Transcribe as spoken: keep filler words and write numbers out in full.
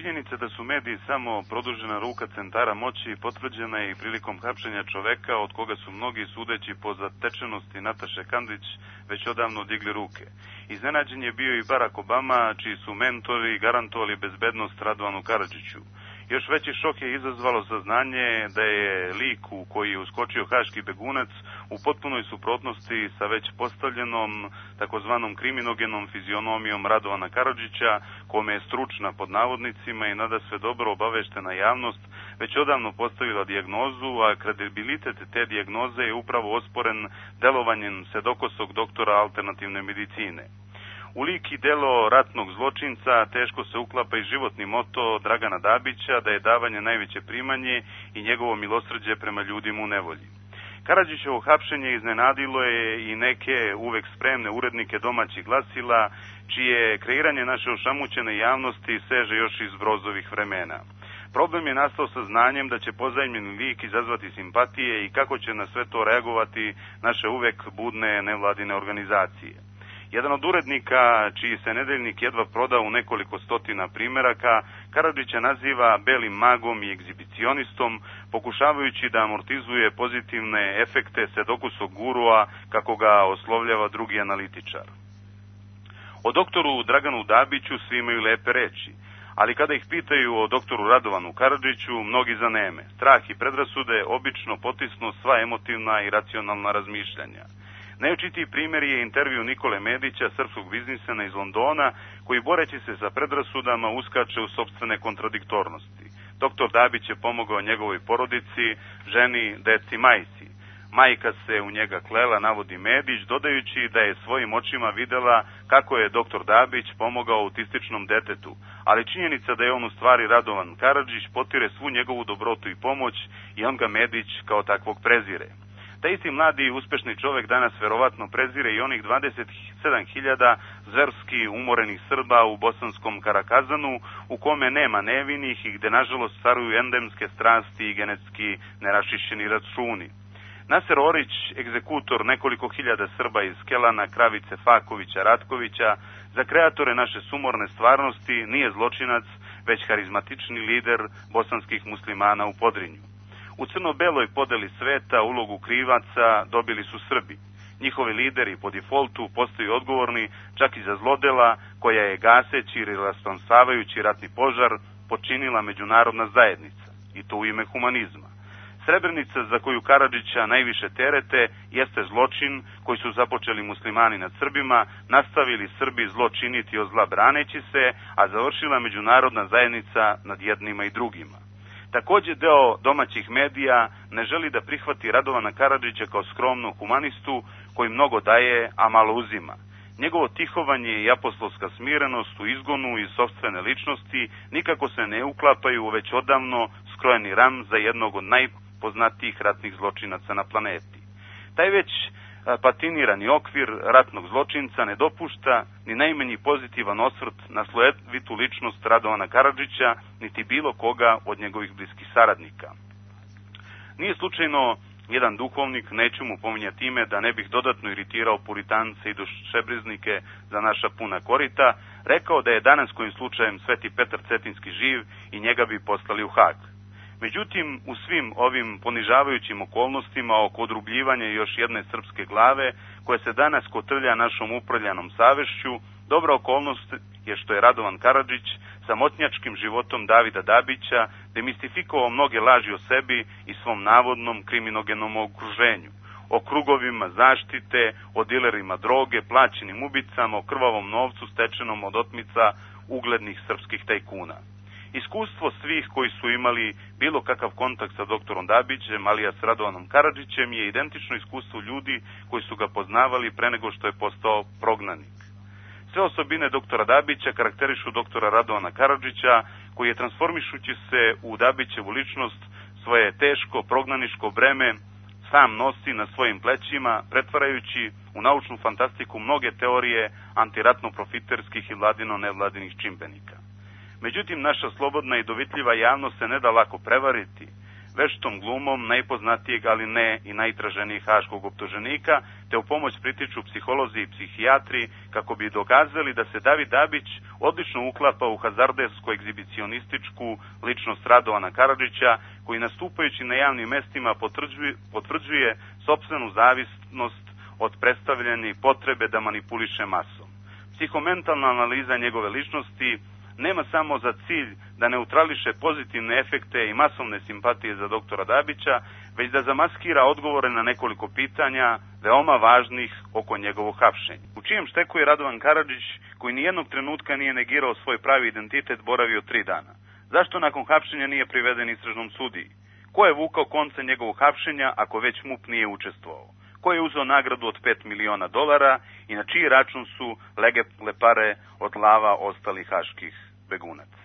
Činjenica da su mediji samo produžena ruka centara moći potvrđena je i prilikom hapšenja čoveka od koga su mnogi, sudeći po zatečenosti Nataše Kandić, već odavno digli ruke. Iznenađen je bio i Barack Obama, čiji su mentori garantovali bezbednost Radovanu Karadžiću. Još veći šok je izazvalo saznanje da je lik u koji je uskočio haški begunac u potpunoj suprotnosti sa već postavljenom takozvanom kriminogenom fizionomijom Radovana Karadžića, kome je stručna pod navodnicima i nada sve dobro obaveštena javnost već odavno postavila dijagnozu, a kredibilitet te dijagnoze je upravo osporen delovanjem sedokosog doktora alternativne medicine. U lik i delo ratnog zločinca teško se uklapa i životni moto Dragana Dabića da je davanje najveće primanje i njegovo milosrđe prema ljudima u nevolji. Karadžićevo hapšenje iznenadilo je i neke uvek spremne urednike domaćih glasila, čije kreiranje naše ošamućene javnosti seže još iz Brozovih vremena. Problem je nastao sa znanjem da će pozajmljeni lik izazvati simpatije i kako će na sve to reagovati naše uvek budne nevladine organizacije. Jedan od urednika, čiji se nedeljnik jedva prodao u nekoliko stotina primeraka, Karadžića naziva belim magom i egzibicionistom, pokušavajući da amortizuje pozitivne efekte sedokusog gurua, kako ga oslovljava drugi analitičar. O doktoru Draganu Dabiću svi imaju lepe reči, ali kada ih pitaju o doktoru Radovanu Karadžiću, mnogi zaneme. Strah i predrasude obično potisnu sva emotivna i racionalna razmišljanja. Najočitiji primjer je intervju Nikole Medića, srpskog biznismena iz Londona, koji boreći se sa predrasudama uskače u sopstvene kontradiktornosti. Doktor Dabić je pomogao njegovoj porodici, ženi, deci, majci. Majka se u njega klela, navodi Medić, dodajući da je svojim očima videla kako je doktor Dabić pomogao autističnom detetu, ali činjenica da je on u stvari Radovan Karadžić potire svu njegovu dobrotu i pomoć i on ga Medić kao takvog prezire. Taj isti mladi i uspešni čovek danas verovatno prezire i onih dvadeset sedam hiljada zverski umorenih Srba u bosanskom Karakazanu, u kome nema nevinih i gde nažalost caruju endemske strasti i genetski nerašišćeni računi. Naser Orić, egzekutor nekoliko hiljada Srba iz Kelana, Kravice, Fakovića, Ratkovića, za kreatore naše sumorne stvarnosti nije zločinac, već harizmatični lider bosanskih muslimana u Podrinju. U crno-beloj podeli sveta ulogu krivaca dobili su Srbi. Njihovi lideri po defaultu postaju odgovorni čak i za zlodela koja je gaseći ili rasplamsavajući ratni požar počinila međunarodna zajednica, i to u ime humanizma. Srebrenica, za koju Karadžića najviše terete, jeste zločin koji su započeli muslimani nad Srbima, nastavili Srbi zlo činiti od zla braneći se, a završila međunarodna zajednica nad jednima i drugima. Takođe, deo domaćih medija ne želi da prihvati Radovana Karadžića kao skromnog humanistu koji mnogo daje, a malo uzima. Njegovo tihovanje i apostolska smirenost u izgonu iz sopstvene ličnosti nikako se ne uklapaju u već odavno skrojeni ram za jednog od najpoznatijih ratnih zločinaca na planeti. Taj već patinirani okvir ratnog zločinca ne dopušta ni najmanji pozitivan osvrt na slojevitu ličnost Radovana Karadžića, niti bilo koga od njegovih bliskih saradnika. Nije slučajno jedan duhovnik, neću mu pominjati ime da ne bih dodatno iritirao puritance i dušebriznike za naša puna korita, rekao da je danas kojim slučajem Sveti Petar Cetinski živ i njega bi poslali u Hag. Međutim, u svim ovim ponižavajućim okolnostima oko odrubljivanja još jedne srpske glave, koja se danas kotrlja našom uprljanom savešću, dobra okolnost je što je Radovan Karadžić samotnjačkim životom Davida Dabića demistifikovao mnoge laži o sebi i svom navodnom kriminogenom okruženju, o krugovima zaštite, o dilerima droge, plaćenim ubicama, o krvavom novcu stečenom od otmica uglednih srpskih tajkuna. Iskustvo svih koji su imali bilo kakav kontakt sa doktorom Dabićem, alijas Radovanom Karadžićem, je identično iskustvu ljudi koji su ga poznavali pre nego što je postao prognanik. Sve osobine doktora Dabića karakterišu doktora Radovana Karadžića, koji je transformišući se u Dabićevu ličnost svoje teško prognaniško breme sam nosi na svojim plećima, pretvarajući u naučnu fantastiku mnoge teorije antiratno-profiterskih i vladino-nevladinih čimbenika. Međutim, naša slobodna i dovitljiva javnost se ne da lako prevariti. veštom glumom najpoznatijeg, ali ne i najtraženijeg haškog optuženika, te u pomoć pritiču psiholozi i psihijatri kako bi dokazali da se David Dabić odlično uklapa u hazardevsko-egzibicionističku ličnost Radovana Karadžića, koji nastupajući na javnim mestima potvrđuje, potvrđuje sopstvenu zavisnost od predstavljene potrebe da manipuliše masom. Psihomentalna analiza njegove ličnosti nema samo za cilj da neutrališe pozitivne efekte i masovne simpatije za doktora Dabića, već da zamaskira odgovore na nekoliko pitanja veoma važnih oko njegovog hapšenja. U čijem šteku je Radovan Karadžić, koji nijednog trenutka nije negirao svoj pravi identitet, boravio tri dana? Zašto nakon hapšenja nije priveden istražnom sudiji? Ko je vukao konce njegovog hapšenja ako već MUP nije učestvovao? Ko je uzeo nagradu od pet miliona dolara i na čiji račun su legeple pare od lava ostalih haških begunaca?